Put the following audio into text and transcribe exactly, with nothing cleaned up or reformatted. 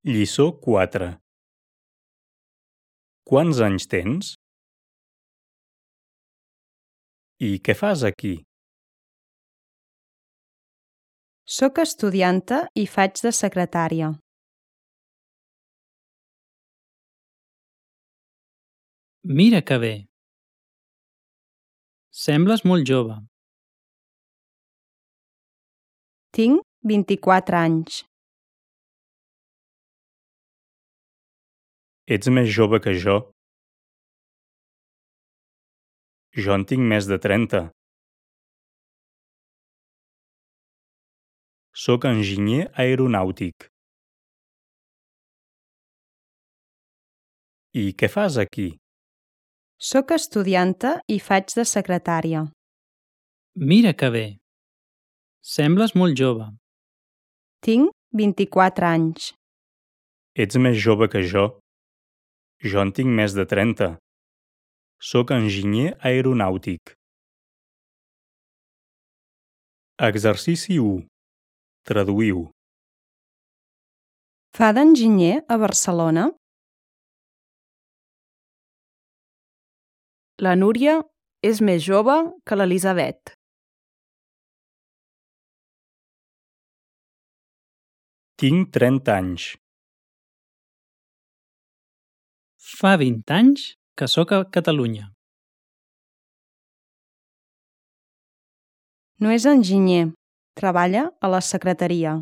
Lliçó quatre. Quants anys tens? I què fas aquí? Soc estudianta i faig de secretària. Mira que bé! Sembles molt jove. Tinc vint-i-quatre anys. Ets més jove que jo. Jo en tinc més de trenta. Soc enginyer aeronàutic. I què fas aquí? Soc estudianta i faig de secretària. Mira que bé! Sembles molt jove. Tinc vint-i-quatre anys. Ets més jove que jo. Jo en tinc més de trenta. Soc enginyer aeronàutic. Exercici u. Traduïu. Fa d'enginyer a Barcelona? La Núria és més jove que l'Elisabet. Tinc trenta anys. Fa vint anys que sóc a Catalunya. No és enginyer. Treballa a la secretaria.